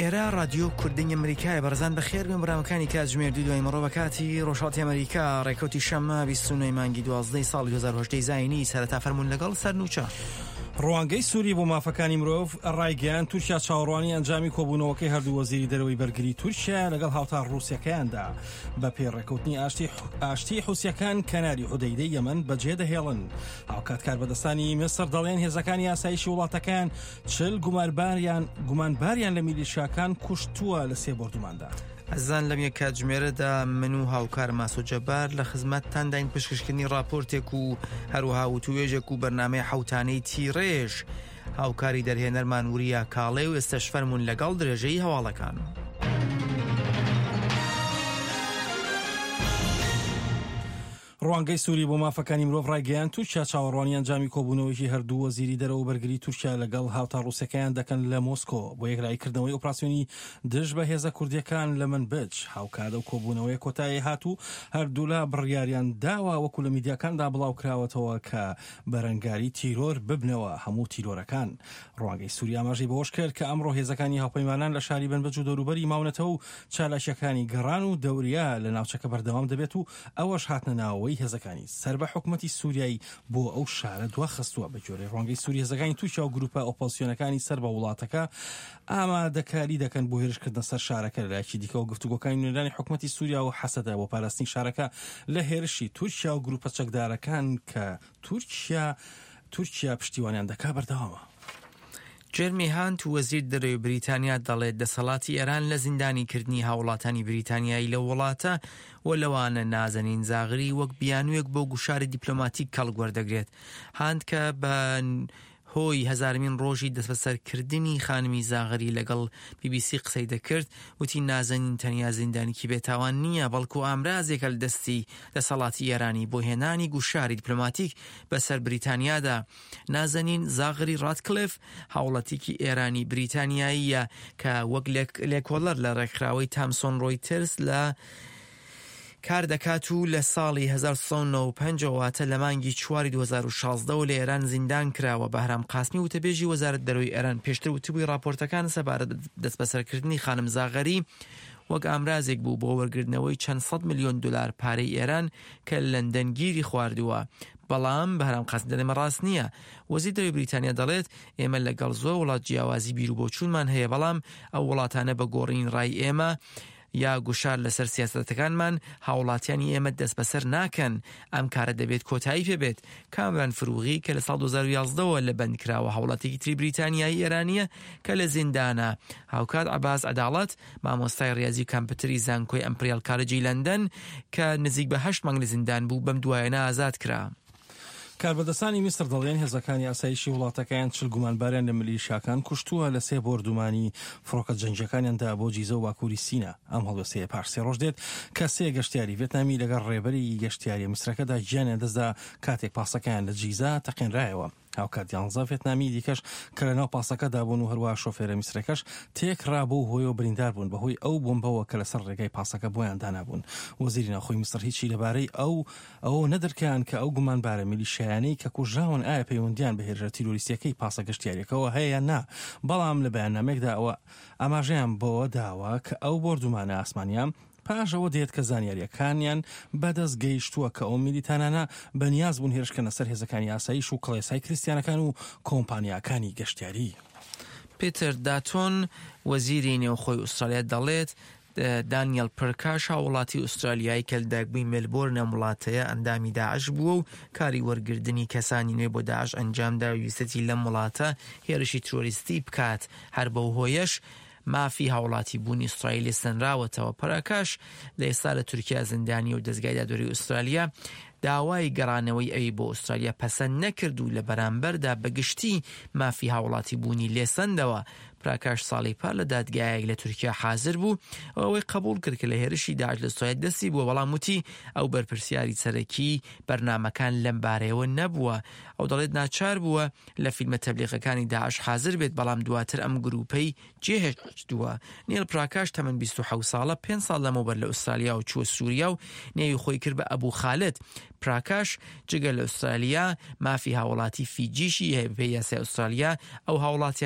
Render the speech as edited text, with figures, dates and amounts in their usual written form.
ئێرە ڕادیۆ کوردنگ ئەمریکایە بەڕێزان بەخێر بێن بەرنامەکانی کاتژمێر دوو دوای مڕۆ بە کاتی ڕۆژهەڵاتی ئەمریکا ڕێکەوتی شەممە 29 مانگی 12 ساڵی 2018 زایینی سەرەتا فەرموون لەگەڵ سەرنوچە. ڕوانگەی سووری بۆ مافەکانی مرۆڤ ڕایگەیاند تورکیا چاوەڕوانی ئەنجامی کۆبوونەوەکەی هەردوو وەزیری دەرەوەی بەرگری تورکیا لەگەڵ هاوتا ڕووسەکەیاندا بە پێی ڕێکەوتنی ئاشتی ئاشتی حوسیەکان کەناری حودەیدەی یەمەن بەجێدەهێڵن هاوکات کاربەدەستانی میسر دەڵێن هێزەکانی ئاسایشی وڵاتەکەیان چل گومانباریان لە میلیشیاکان کوشتووە لە سێ بۆردوماندا. ئەزیزان لەم یەک کاتژمێرەدا من و هاوکارم ئاسۆ جەبار لە خزمەتتانداین پشکشکردنی ڕاپۆرتێک و هەروەها وتوێژێک و بەرنامەی حەوتانەی تیڕێژ هاوکاری دەرهێنەرمان وریا کاڵێ و ئێستەش فەرموون لەگەڵ درێژەی هەواڵەکان. ڕوانگەی سوری بۆ مافەکانی مرۆڤ ڕایگەیاند، تورکیا چاوەڕوانی ئەنجامی کۆبوونەوەیەکی هەردوو وەزیری دەرەوە و بەرگری تورکیا لەگەڵ هاوتا ڕووسەکەیان دەکەن لە مۆسکۆ بۆ یەکلاییکردنەوەی ئۆپراسیۆنی دژ بە هێزە کوردییەکان لە منبج. هاوکات ئەو کۆبوونەوەیە کۆتایی هات و هەردوولا بڕیاریان داوە وەکو لە میدیاکاندا بڵاوکراوەتەوە کە بەرەنگاری تیرۆر ببنەوە هەموو تیرۆرەکان. ڕوانگەی سوری ئاماژەی بەوەش کرد کە ئەمڕۆ هێزەکانی هاوپەیمانان لە شاری منبج و دەوروبەری ماونەتەوە و چالاکییەکانی گەڕان و دەوریا لە ناوچەکە بەردەوام دەبێت و ئەوەش هاتنە ناوەوەی هێزەکانی سەر بە حکومەتی سوریای بۆ ئەو شارە دواخستووە. بەگوێرەی ڕوانگەی سوری هێزەکانی تورکیا و گروپە ئۆپۆزسیۆنەکانی سەر بە وڵاتەکە ئامادەکاری دەکەن بۆ هێرشکردنە سەر شارەکە. لەلایەکی دیکەوە گفتوگۆکانی نوێنەرانی حکومەتی سوریا و هەسەدە بۆ پاراستنی شارەکە لە هێرشی تورکیا و گروپە چەکدارەکان کە تورکیا تورکیا پشتیوانیان دەکات بەردەوامە. جێرمی هانت وەزیر دەرەوەی بریتانیا دەڵێت دەسەڵاتی ئێران لە زیندانیکردنی هاوڵاتانی بریتانیایی لەو وڵاتە و لەوانە نازەنین زاغری وەک بیانوویەک بۆ گوشاری دیپلۆماتیک کەڵک وەردەگرێت. هانت کە بە هۆی هەزارمین ڕۆژی دەستبەسەرکردنی خانمی زاغری لەگەڵ بی بی سی قسەی دەکرد وتی نازەنین تەنیا زیندانیکی بێتاوان نییە بەڵکو ئامرازێکە لە دەستی دەسەڵاتی ئێرانی بۆ هێنانی گوشاری دیپلۆماتیک بەسەر بریتانیادا. نازەنین زاغری ڕاتکلێف هاوڵاتیکی ئێرانی بریتانیاییە کە وەک لێکۆڵەر لە ڕێکخراوەی تامسۆن ڕۆیتەرز لە کار دەکات و لە ساڵی 1995 واتە لە مانگی چواری 2016 لە ئێران زیندان کراوە. بەهرام قاسمی وتەبێژی وەزارەت دەرەوەی ئێران پێشتر وتبووی ڕاپۆرتەکان سەبارەت بە دەستبەسەرکردنی خانم زاغری وەک ئامرازێک بوو بۆ وەرگرتنەوەی چەند سەد ملیۆن دلار پارەی ئێران کە لەندەن گیری خواردووە. بەڵام بەهرام قاسم دەڵێ ئەمە ڕاست نییە. وەزیر دەرەوەی بریتانیا دەڵێت ئێمە لەگەڵ زۆر وڵات جیاوازی بیروبۆچوونمان هەیە بەڵام ئەو وڵاتانە بە گۆڕینی ڕای ئێمە یا گوشار لەسەر سیاسەتەکانمان هاوڵاتیانی ئێمە دەستبەسەر ناکەن. ئەم کارە دەبێت کۆتایی پێ بێت. کامران فروغی کە لە ساڵ 2011 ەوە لە بەند کراوە هاوڵاتیکی تری بریتانیایی ئێرانییە کە لە زیندانە. هاوکات عەباس عەداڵەت مامۆستای ڕیازی و کامپیوتەری زانکۆی ئەمپریال کالجی لەندەن کە نزیک بە هەشت مانگ لە زیندان بوو بەم دوایەنە ئازاد کرا. کاربەدەستانی میسر دەڵێن هێزەکانی ئاسایشی وڵاتەکەیان چل گومانباریان لە ملیشیاکان کوشتووە لە سێ بۆردومانی فڕۆکە جەنگییەکانیاندا بۆ جیزە و باکووری سینا. ئەم هەڵوێستەیە پاش سێ ڕۆژ دێت کە سێ گەشتیاری ڤێتنامی لەگەڵ ڕێبەری گەشتیارییە میسرەکەدا گیانیان دەستدا کاتێک پاسەکەیان لە جیزە تەقێنرایەوە. هاوکات یانزە ڤێتنامیی دیکەش کە لەناو پاسەکەدا بوون و هەروەها شۆفێرە میسرەکەش تێکڕا بەو هۆیەوە بریندار بوون بەهۆی ئەو بۆمبەوە کە لەسەر ڕێگای پاسەکە بۆیان دانابوون. وەزیری ناوخۆی میسر هیچی لەبارەی ئەو ئەوەوە نەدرکاند کە ئەو گومانبارە میلیشیایانەی کە کوژراون ئایا پەیوەندییان بە هێرشە تیرۆریستییەکەی پاسە گەشتیارییەکەوە هەیە یان نا، بەڵام لە بەیاننامەیەکدا ئەوە ئاماژەیان بەوە داوە کە ئەو بۆردومانە ئاسمانییە پاش ئەوە دێت کە زانیارییەکانیان بەدەست گەیشتووە کە ئەو میلیتانانە بەنیاز بوون هێرش بکەنە سەر هێزەکانی ئاسایش و کڵێسای کریستیانەکان و کۆمپانیاکانی گەشتیاری. پیتەر داتۆن، وەزیری نێوخۆی ئوسترالیا دەڵێت، دانیەل پرکاش هاووڵاتی ئوسترالیایی کە لەدایکبووی مێلبۆرن ئەم وڵاتەیە ئەندامی داعش بووە و کاری وەرگردنی کەسانی نوێ بۆ داعش ئەنجامدا و ویستیەتی لەم وڵاتە هێرشی ترۆریستی بکات هەر بەو هۆیەش مافی هاوڵاتی بوونی ئوسترالی لێ سەنراوەتەوە. پراکاش لە ئێستا لە تورکیا زیندانیە و دەزگای دادوەری ئوسترالیا داوای گەڕانەوەی ئەوی بۆ ئوسترالیا پەسەند نەکرد و لە بەرامبەردا بە گشتی مافی هاوڵاتی بوونی لێ سەندەوە. پراکاش ساڵی پار لە دادگایەک لە تورکیا حازر بوو و ئەوەی قبوڵ کرد کە لە هێرشی داعش لە ئوسترالیا دەستی بووە، بەڵام وتی ئەو بەرپرسیاری سەرەکی بەرنامەکان لەم بارەیەوە نەبووە. ئەو دەڵێت ناچار بووە لە فیلمە تەبلیغەکانی داعش حازر بێت، بەڵام دواتر ئەم گرووپەی جێهێشتووە. نیل پراکاش تەمەن 27 ساڵە، پێنج ساڵ لەمەوبەر لە ئوسترالیا و چووە سووریا و نێوی خۆی کرد بە ئەبوو خالد. پراکاش جگە لە ئوسترالیا مافی هاوڵاتی فیجیشی هەیە، بەپێی یاسای ئوسترالیا ئەو هاوڵاتیانەی.